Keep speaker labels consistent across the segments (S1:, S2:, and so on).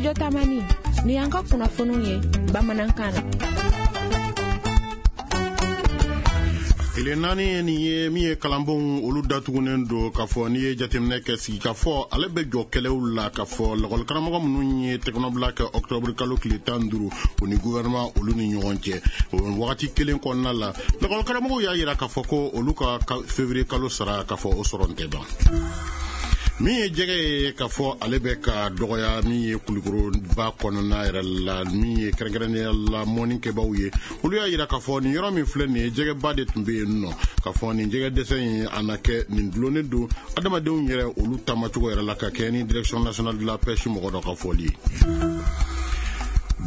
S1: Studio Tamani, ni y'an ka kunnafoniw ye bamanankan na.
S2: Tile 4 ye nin ye min ye kalanbonw olu datugunen don k'a fɔ n'i ye jateminɛ kɛ sigikafɔ ale bɛ jɔ kɛlɛw la k'a fɔ lakɔlikaramɔgɔ minnu ye tɛgɛnɔbila kɛ ɔkutɔburu kalo tile 15 u ni gouvernement olu ni ɲɔgɔn cɛ o wagati kelen kɔnɔna la lakɔlikaramɔgɔw y'a jira k'a fɔ ko olu ka février kalo sara k'a fɔ o sɔrɔ tɛ ban. Min ye jɛgɛ ye k'a fɔ ale bɛ ka dɔgɔya min ye Kulukoroba kɔnɔna yɛrɛ la min ye kɛrɛnkɛrɛnnenya la mɔnnikɛbaaw ye olu y'a jira k'a fɔ nin yɔrɔ min filɛ nin ye jɛgɛba de tun bɛ yen nɔ k'a fɔ nin jɛgɛ dɛsɛ in a na kɛ nin dulonnen don adamadenw yɛrɛ olu taamacogo yɛrɛ la ka kɛ ni direction nationale de la pêche mɔgɔ dɔ ka fɔli ye.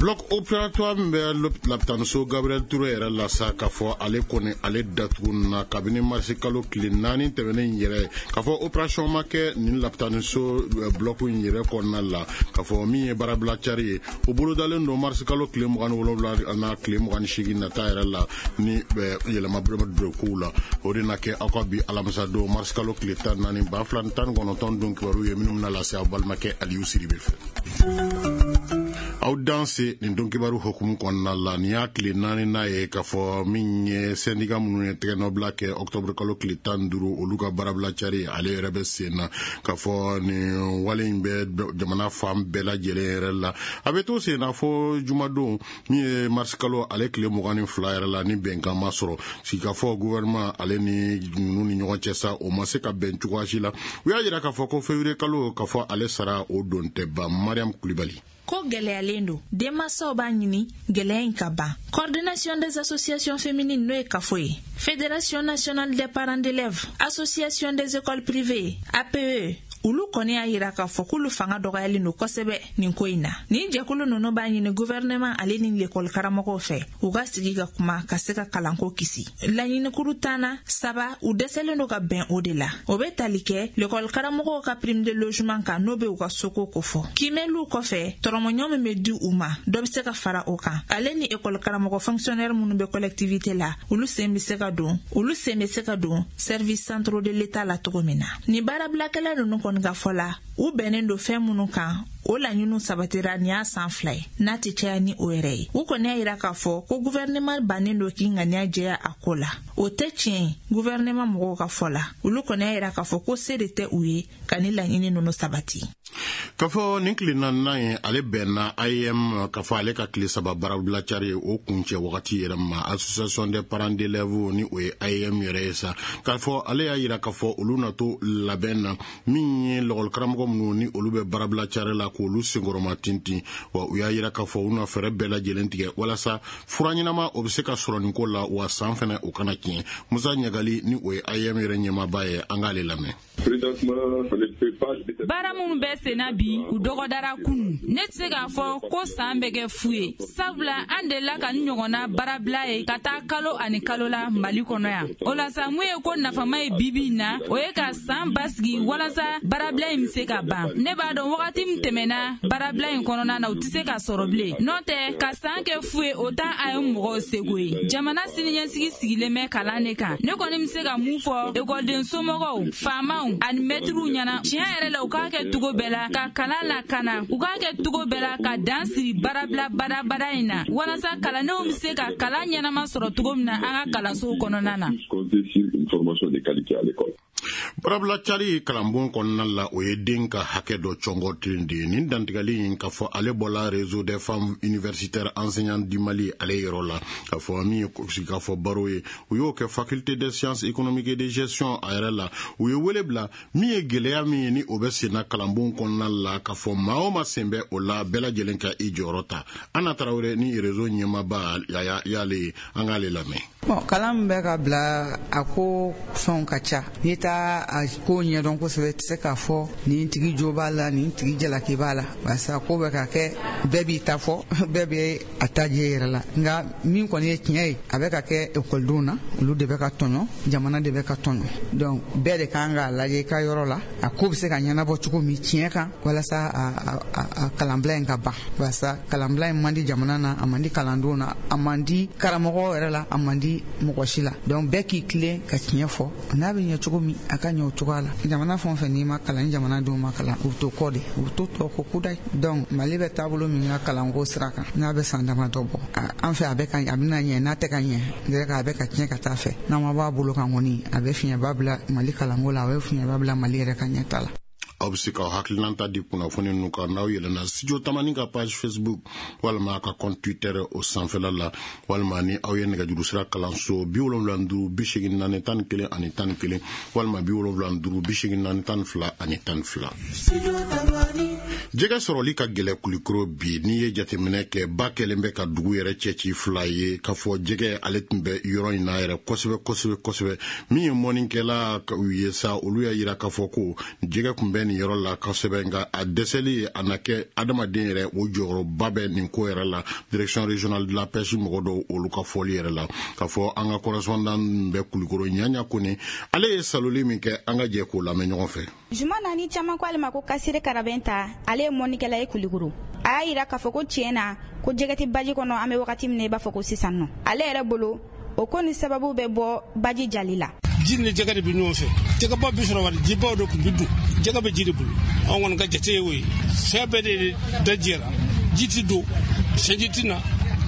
S2: Bloc opératoire min bɛ lapitaniso Gabriel Touré yɛrɛ la sa k'a fɔ ale kɔni ale datugunna kabini marisi kalo tile 4 tɛmɛnen yɛrɛ k'a fɔ opération ma kɛ nin lapitaniso bloc in yɛrɛ kɔnɔna la k'a fɔ min ye baarabila cari ye o bolodalen don marisi kalo tile 27 n'a tile 28 nata yɛrɛ la ni yɛlɛma don kow la o de na kɛ aw ka bi alamisa don marisi kalo tile 14 2019 don kibaru ye minnu bɛna lase aw balimakɛ Aliyu Siribe fɛ. Aw danse nin don kibaru hukumu kɔnɔna la nin y'a tile 4nan ye k'a fɔ min ye syndicat minnu ye tɛgɛnɔbila kɛ ɔkutɔburu kalo tile 15 olu ka baarabila cari ale yɛrɛ bɛ sen na k'a fɔ nin wale in bɛ jamana fan bɛɛ lajɛlen yɛrɛ la a bɛ to sen na fo jumadon min ye marisi kalo ale tile 22 yɛrɛ la ni bɛnkan ma sɔrɔ sigikafɔ gouvernement ale ni ninnu ni ɲɔgɔn cɛ sa o ma se ka bɛn cogoya si la u y'a jira k'a fɔ ko février kalo k'a fɔ ale sara o don tɛ ban. Mariam Kulibali.
S3: Ko gɛlɛyalen don denmansaw b'a ɲini gɛlɛya in ka ban. Coordination des associations féminines n'o ye CAFO ye, Fédération nationale des parents d'élèves, Association des écoles privées, APE, olu kɔni y'a yira k'a fɔ k'olu fanga dɔgɔyalen don kosɛbɛ nin ko in na. Nin jɛkulu ninnu b'a ɲini gouvernement ale ni lekɔli karamɔgɔw fɛ u ka sigi ka kuma ka se ka kalanko kisi. Laɲinikuru 10 na 3 u dɛsɛlen don ka bɛn o de la. O bɛ tali kɛ lekɔli karamɔgɔw ka prime de logement kan n'o bɛ u ka soko kofɔ. Kimɛliw kɔfɛ tɔrɔmɔɲɔ min bɛ di u ma dɔ bɛ se ka fara o kan. Ale ni ekɔli karamɔgɔ fonctionnaire minnu bɛ collectivité la olu sen bɛ se ka don olu sen bɛ se ka don service centraux de l'état la cogo min na. Nin baarabilakɛla ninnu kɔni ka fɔ la u bɛnnen don fɛn minnu kan o laɲiniw sabatira nin y'a san 2 ye n'a tɛ caya ni o yɛrɛ ye. U kɔni y'a yira k'a fɔ ko gouvernement bannen don k'i ŋaniya jɛya a ko la. O tɛ tiɲɛ ye gouvernement mɔgɔw ka fɔ la. Olu kɔni y'a yira k'a fɔ ko se de tɛ u ye ka ni laɲini ninnu sabati.
S2: K'a fɔ nin tile 4nan ye ale bɛnna AEM k'a fɔ ale ka tile 3 baarabila cari ye o kuncɛ wagati yɛrɛ ma. Association des parents d'élèves ni o ye AEM yɛrɛ ye sa k'a fɔ ale y'a yira k'a fɔ olu na to labɛn na min ye lakɔlikaramɔgɔ minnu ni olu bɛ baarabila cari la k'olu senkɔrɔma tintin wa u y'a yira k'a fɔ u na fɛɛrɛ bɛɛ lajɛlen tigɛ walasa fura ɲɛnama o bɛ se ka sɔrɔ nin ko la wa san fɛnɛ o kana tiɲɛ. Musa Ɲagali ni o ye AEM yɛrɛ ɲɛmaaba ye, an k'ale lamɛn.
S4: Baara minnu bɛ senna bi u dɔgɔdara kunu. Ne tɛ se k'a fɔ ko san bɛ kɛ fu ye sabula an delila ka ni ɲɔgɔnna baarabila ye ka taa kalo ani kalo la Mali kɔnɔ yan. O la sa mun ye ko nafama ye bibi in na o ye ka san basigi walasa baarabila in bɛ se ka ban. Ne b'a dɔn wagati min tɛmɛna baarabila in kɔnɔna na o tɛ se ka sɔrɔ bilen. N'o tɛ ka san kɛ fu ye o t'an a ye mɔgɔw seko ye. Jamana siniɲɛsigi sigilen bɛ kalan de kan. Ne kɔni bɛ se ka mun fɔ ekɔliden somɔgɔw faamaw ani mɛtiriw ɲɛna tiɲɛ yɛrɛ la u k'a kɛ cogo bɛɛ la ka kalan lakana u k'a kɛ cogo bɛɛ la ka dan siri baarabila badabada in na walasa kalandenw bɛ se ka kalan ɲɛnama sɔrɔ cogo min na an ka kalansow kɔnɔna na.
S2: Baarabila cari kalanbon kɔnɔna la o ye den ka hakɛ dɔ cɔngɔten de ye. Nin dantigɛli in k'a fɔ ale bɔla Réseau des femmes universitaires enseignantes du Mali ale yɔrɔ la k'a fɔ min ye sigikafɔ baro ye u y'o kɛ faculté des sciences économiques et de gestion a yɛrɛ la. U ye wele bila min ye gɛlɛya min ye ni o bɛ senna kalanbon kɔnɔna la k'a fɔ maa o maa sen bɛ o la bɛɛ lajɛlen ka i jɔyɔrɔ ta. Anna Tarawele ni réseau ɲɛmaaba y'ale ye, an k'ale lamɛn.
S5: Bon, kalan min bɛ ka bila a ko fɛnw ka ca. N'i t'a a ko ɲɛdɔn kosɛbɛ i tɛ se k'a fɔ nin tigi jo b'a la nin tigi jalaki b'a la barisa ko bɛ ka kɛ bɛɛ b'i ta fɔ bɛɛ bɛ a ta jɛ yɛrɛ la. Nka min kɔni ye tiɲɛ ye a bɛ ka kɛ ekɔlidenw na olu de bɛ ka tɔɲɔ jamana de bɛ ka tɔɲɔ donc bɛɛ de kan k'a lajɛ i ka yɔrɔ la a ko bɛ se ka ɲɛnabɔ cogo min tiɲɛ kan walasa a kalanbila in ka ban barisa kalanbila in man di jamana na a man di kalandenw na a man di karamɔgɔw yɛrɛ la a man di di mɔgɔ si la. Donc bɛɛ k'i tilen ka tiɲɛ fɔ, n'a bɛ ɲɛ cogo min a ka ɲɛ o cogoya la. Jamana fɛn o fɛn n'i ma kalan, ni jamanadenw ma kalan, u bɛ to kɔ de, u bɛ to tɔ kɔ kudayi. Donc Mali bɛ taabolo min ka kalanko sira kan, n'a bɛ san damadɔ bɔ an fɛ, a bɛ ka a bɛna ɲɛ, n'a tɛ ka ɲɛ dɛ, a bɛ ka tiɲɛ ka taa fɛ. N'an ma bɔ a bolo kan kɔni, a bɛ fiɲɛba bila Mali kalanko la, a bɛ fiɲɛba bila Mali yɛrɛ ka ɲɛta la.
S2: Aw bɛ se k'aw hakilina ta di kunnafoni ninnu kan n'aw yɛlɛnna Studio Tamani ka page Facebook walima a ka compte Twitter o sanfɛla la, walima ni aw ye nɛgɛjuru sira kalanso 75 84 11 11 walima 75 84 12 12. Jɛgɛ sɔrɔli ka gɛlɛ Kulikoro bi. N'i ye jateminɛ kɛ, ba kɛlen bɛ ka dugu yɛrɛ cɛci fila ye k'a fɔ jɛgɛ ale tun bɛ yɔrɔ in na yɛrɛ kosɛbɛ kosɛbɛ kosɛbɛ. Min ye mɔnikɛla ye sa, olu y'a yira k'a fɔ ko jɛgɛ tun bɛ nin yɔrɔ la kosɛbɛ, nka a dɛsɛli a na kɛ adamaden yɛrɛ o jɔyɔrɔba bɛ nin ko yɛrɛ la. Direction régionale de la pêche mɔgɔ dɔw olu ka fɔli yɛrɛ la k'a fɔ an ka correspondant bɛ Kulikoro, Ɲaɲa Kone, ale ye saloli min kɛ, an ka jɛ k'o lamɛn ɲɔgɔn fɛ.
S6: Juma naani caman ko ale ma ko Kasire Karabɛn ta, ale ye mɔnikɛla ye Kulikoro. A y'a yira k'a fɔ ko tiɲɛ na ko jɛgɛ tɛ baji kɔnɔ an bɛ wagati min na i b'a fɔ ko sisan nɔ. Ale yɛrɛ bolo, o ko ni sababu bɛ bɔ baji jali la.
S7: Ji ni jɛgɛ de bɛ ɲɔgɔn fɛ. Jɛgɛba bɛ sɔrɔ wari jibaw de tun bɛ don. Jɛgɛ bɛ ji de bolo. Anw kɔni ka jate ye o ye. Fɛn bɛɛ de da jɛra. Ji ti don, sɛji ti na,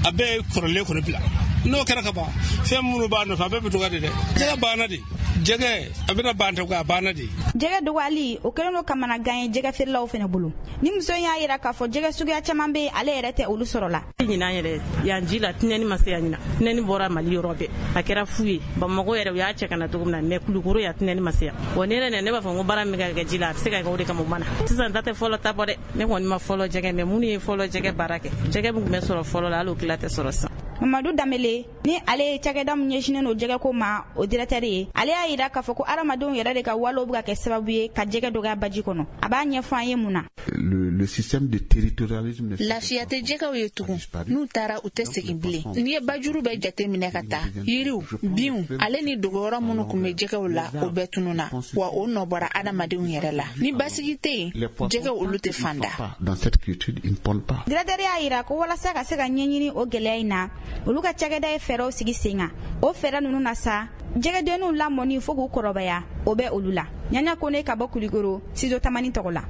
S7: a bɛɛ ye kɔrɔlen kɔni bila. N'o kɛra ka ban, fɛn minnu b'a nɔfɛ a bɛɛ bɛ dɔgɔya de dɛ. Jɛgɛ banna de. Jɛgɛ a bɛna ban tɛ a banna de.
S6: Jɛgɛ dɔgɔyali o kɛlen don kamanagan ye jɛgɛ feerelaw fana bolo. Ni muso in y'a yira k'a fɔ jɛgɛ suguya caman bɛ yen, ale yɛrɛ tɛ olu sɔrɔ la.
S8: Ɲinan yɛrɛ yan ji la tinɛni ma se yan ɲinan. Tinɛni bɔra Mali yɔrɔ bɛɛ. A kɛra fu ye. Bamakɔ yɛrɛ u y'a cɛ ka na cogo min na, mais Kulukoro yan tinɛni ma se yan. Wa ne yɛrɛ ne b'a fɔ ko baara min ka kɛ ji la, a bɛ se ka kɛ o de kama o ma na. Sisan ta tɛ fɔlɔ ta bɔ dɛ. Ne kɔni ma fɔlɔ jɛgɛ, mais minnu ye fɔlɔ jɛgɛ baara kɛ, jɛgɛ min tun bɛ sɔrɔ fɔlɔ la, hali o tila tɛ sɔrɔ sisan.
S6: Mamadu Danbele, ni ale ye cakɛda min ɲɛsinnen don jɛgɛko ma, o directeur ye, ale y'a yira k'a fɔ ko hadamadenw yɛrɛ de ka walew bɛ ka kɛ sababu ye ka jɛgɛ dɔgɔya baji kɔnɔ. A b'a ɲɛfɔ an ye mun na.
S9: Le système de territorialisme.
S3: Lafiya tɛ jɛgɛw ye tugun. N'u taara u tɛ segin bilen. N'i ye bajuru bɛɛ jate minɛ ka taa, yiriw, binw, ale ni dogoyɔrɔ minnu tun bɛ jɛgɛw la, o bɛɛ tununna. Wa o nɔ bɔra adamadenw yɛrɛ la. Ni basigi tɛ yen, jɛgɛw olu tɛ fan da.
S9: Dans cette quiétude, ils ne pondent pas.
S6: Directeur y'a yira ko walasa ka se ka ɲɛɲini o gɛlɛya in na, olu ka cakɛda ye fɛɛrɛw sigi sen kan. O fɛɛrɛ ninnu na sa, jɛgɛdenninw lamɔni fo k'u kɔrɔbaya, o bɛ olu la. Ɲaɲa Kone ka bɔ Kulikoro, Studio Tamani tɔgɔ la.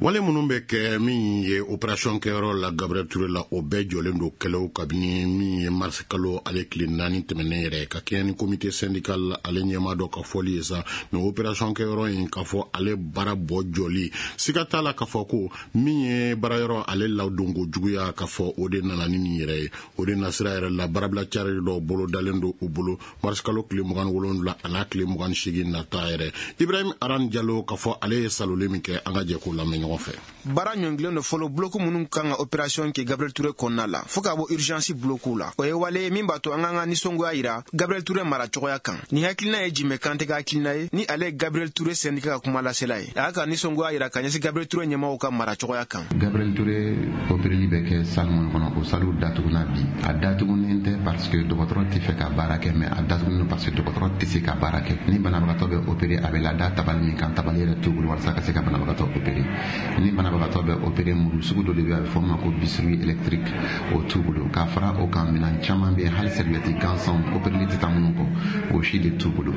S2: Wale minnu bɛ kɛ min ye opération kɛyɔrɔ la Gabriel Touré la, o bɛɛ jɔlen don kɛlɛw kabini min ye mars kalo ale tile 4 tɛmɛnen yɛrɛ, ka kɛɲɛ ni comité syndical ale ɲɛmaa dɔ ka fɔli ye sa. Nin opération kɛyɔrɔ in k'a fɔ ale baara bɔ jɔli, siga t'a la k'a fɔ ko min ye baarayɔrɔ ale ladonko juguya, k'a fɔ o de nana ni nin yɛrɛ ye. O de nasira yɛrɛ la, baarabila cari dɔw bolo dalen don u bolo mars kalo tile 27 a n'a tile 28 nata yɛrɛ. Ibrahim Aran Jalo k'a fɔ ale ye saloli min kɛ, an ka jɛ k'o lamɛn ɲɔgɔn fɛ.
S10: Baara ɲɔngilen don fɔlɔ bloku minnu kan ka opération kɛ Gabriel Touré kɔnɔna la, fɔɔ ka bɔ urgence bloku la. O ye wale ye min b'a to an k'an ka nisɔngoya yira Gabriel Touré mara cogoya kan. Nin hakilina ye Jimɛ Kante ka hakilina ye, ni ale ye Gabriel Touré syndicat ka kuma lasela ye. A y'a ka nisɔngoya yira ka ɲɛsin Gabriel Touré ɲɛmɔgɔw ka mara cogoya kan.
S11: Gabriel Touré opéreli bɛ kɛ salle minnu kɔnɔ, o sallew datuguna bi. A datugunen tɛ parce que dɔgɔtɔrɔ tɛ fɛ ka baara kɛ, mais a datugunen parce que dɔgɔtɔrɔ tɛ se ka baara kɛ. Ni banabagatɔ bɛ opéré, a bɛ lada tabali min kan, tabali yɛrɛ t'u bolo walasa ka se ka banabagatɔ opéré. Ni banabagatɔ bɛ opéré, muru sugu dɔ de bɛ, a bɛ fɔ o ma ko bistouri électrique, o t'u bolo. K'a fara o kan, minɛn caman bɛ yen, hali serviette gansanw opéreli tɛ taa minnu kɔ, o si de t'u bolo.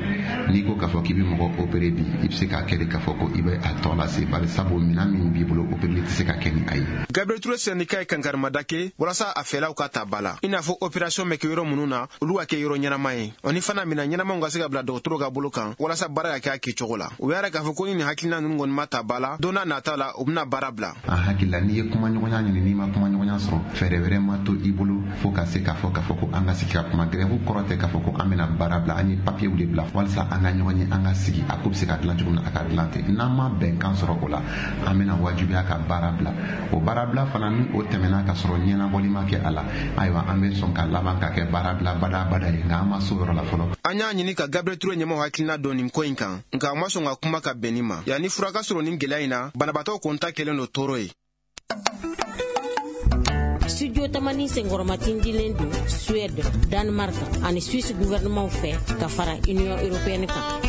S11: N'i ko k'a fɔ k'i bɛ mɔgɔ opéré bi, i bɛ se k'a kɛ de k'a fɔ ko i bɛ a tɔ lase, bari sabu minɛn min b'i bolo, opéreli tɛ se ka kɛ ni a ye.
S10: Gabriel Touré syndicat ye kankarimada kɛ walasa a fɛlaw ka ta ba la, i n'a fɔ opération bɛ kɛ yɔrɔ minnu na, olu ka kɛ yɔrɔ ɲɛnama ye, o ni fana minɛn ɲɛnamaw ka se ka bila dɔgɔtɔrɔw ka bolo kan walasa baara ka kɛ a kɛcogo la. U y'a yira k'a fɔ ko ni nin hakilina ninnu kɔni ma ta ba la, don n'a nata la u bɛna baara bila.
S11: A hakili la, n'i ye kumaɲɔgɔnya ɲini, n'i ma kumaɲɔgɔnya sɔrɔ, fɛɛrɛ wɛrɛ ma to i bolo fo ka se k'a fɔ ko an ka sigi ka kuma. Grève kɔrɔ tɛ k'a fɔ ko an bɛna baara bila, an ye papiyew de bila walasa an ka ɲɔgɔn ye, an ka sigi, a ko bɛ se ka dilan cogo min na, a ka dilan ten. N'an ma bɛnkan sɔrɔ o la, an bɛna wajibiya ka baara bila. O baara bila fana, ni o tɛmɛna ka sɔrɔ ɲɛnabɔli ma kɛ a la, ayiwa an bɛ sɔn ka laban ka kɛ baara bila badabada ye, nka an ma s'o yɔrɔ la fɔlɔ.
S10: An y'a ɲini ka Gabriel Touré ɲɛmɔgɔ hakilina dɔn nin ko in kan, nka a ma sɔn ka kuma ka bɛn nin ma. Yanni fura ka sɔrɔ nin gɛlɛya in na, banabaatɔ kɔni ta kɛlen don tɔɔrɔ ye.
S12: Studio Tamani senkɔrɔmatindilen don Suède, Danemark ani Suisse gouvernement fɛ ka fara Union européenne kan.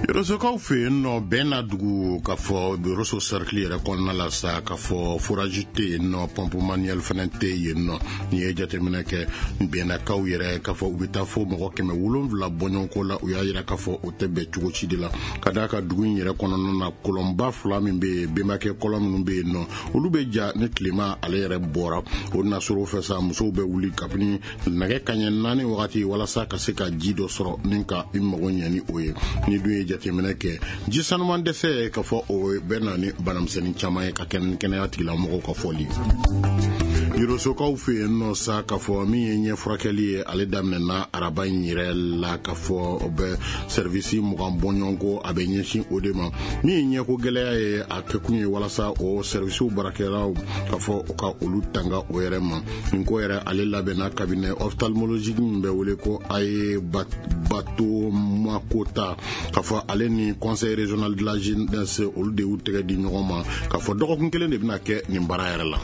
S2: Yorosokaw fɛ yen nɔ, bɛn na dugu, k'a fɔ Yoroso cercle yɛrɛ kɔnɔna la sa, k'a fɔ forage tɛ yen nɔ, pompe manuelle fana tɛ yen nɔ. N'i ye jateminɛ kɛ bɛnnakaw yɛrɛ, k'a fɔ u bɛ taa fo mɔgɔ 700 bɔɲɔgɔnko la, u y'a yira k'a fɔ o tɛ bɛn cogo si de la, ka d'a kan dugu in yɛrɛ kɔnɔna na, kɔlɔnba fila min bɛ yen, bɛnbakɛ kɔlɔn minnu bɛ yen nɔ, olu bɛ ja ni tilema ale yɛrɛ bɔra. O nasɔrɔ fɛ sa, musow bɛ wuli kabini nɛgɛ kaɲɛ 4 wagati walasa ka se ka ji dɔ sɔrɔ ni ka i mago ɲɛ ni o ye. Ni dun ye jateminɛ kɛ, ji sanuman dɛsɛ, k'a fɔ o bɛ na ni banamisɛnnin caman ye, ka kɛ ni kɛnɛya tigilamɔgɔw ka fɔli. Yorosokaw fɛ yen nɔ sa, k'a fɔ min ye ɲɛ furakɛli ye, ale daminɛna araba in yɛrɛ la, k'a fɔ o bɛ service 20 bɔɲɔgɔnko, a bɛ ɲɛsin o de ma. Min ye ɲɛko gɛlɛya ye, a kɛkun ye walasa o servicew baarakɛlaw, k'a fɔ u ka olu tanga o yɛrɛ ma. Nin ko yɛrɛ, ale labɛnna cabinet ophtalmologique min bɛ wele ko Aye Bato Makota, k'a fɔ ale ni Conseil régional de la jeunesse, olu de y'u tɛgɛ di ɲɔgɔn ma, k'a fɔ dɔgɔkun kelen de bɛna kɛ nin baara yɛrɛ la.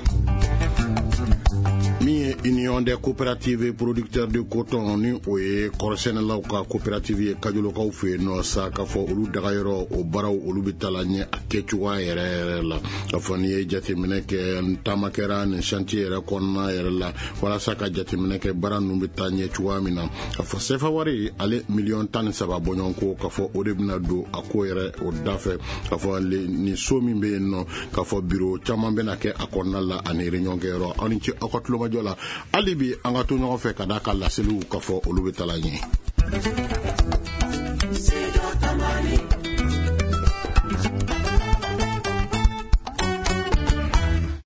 S2: Min ye Union des coopératives producteurs de coton, ni o ye kɔrɔsɛnɛlaw ka coopérative ye Kajolokaw fɛ yen nɔ sa, k'a fɔ olu dagayɔrɔ o baaraw, olu bɛ taa la ɲɛ a kɛcogoya yɛrɛ yɛrɛ la. K'a fɔ n'i ye jateminɛ kɛ, taama kɛra nin chantier yɛrɛ kɔnɔna yɛrɛ la walasa ka jateminɛ kɛ baara ninnu bɛ taa ɲɛ cogoya min na. K'a fɔ sefa wari ale miliyɔn 13 bɔɲɔgɔnko, k'a fɔ o de bɛna don a ko yɛrɛ o da fɛ. K'a fɔ nin so min bɛ yen nɔ, k'a fɔ biro caman bɛna kɛ a kɔnɔna la ani réunion kɛyɔrɔ. Aw ni ce aw ka tulomajɔ la. Hali bi an ka to ɲɔgɔn fɛ, ka d'a ka laseliw, k'a fɔ olu bɛ taa ɲɛ.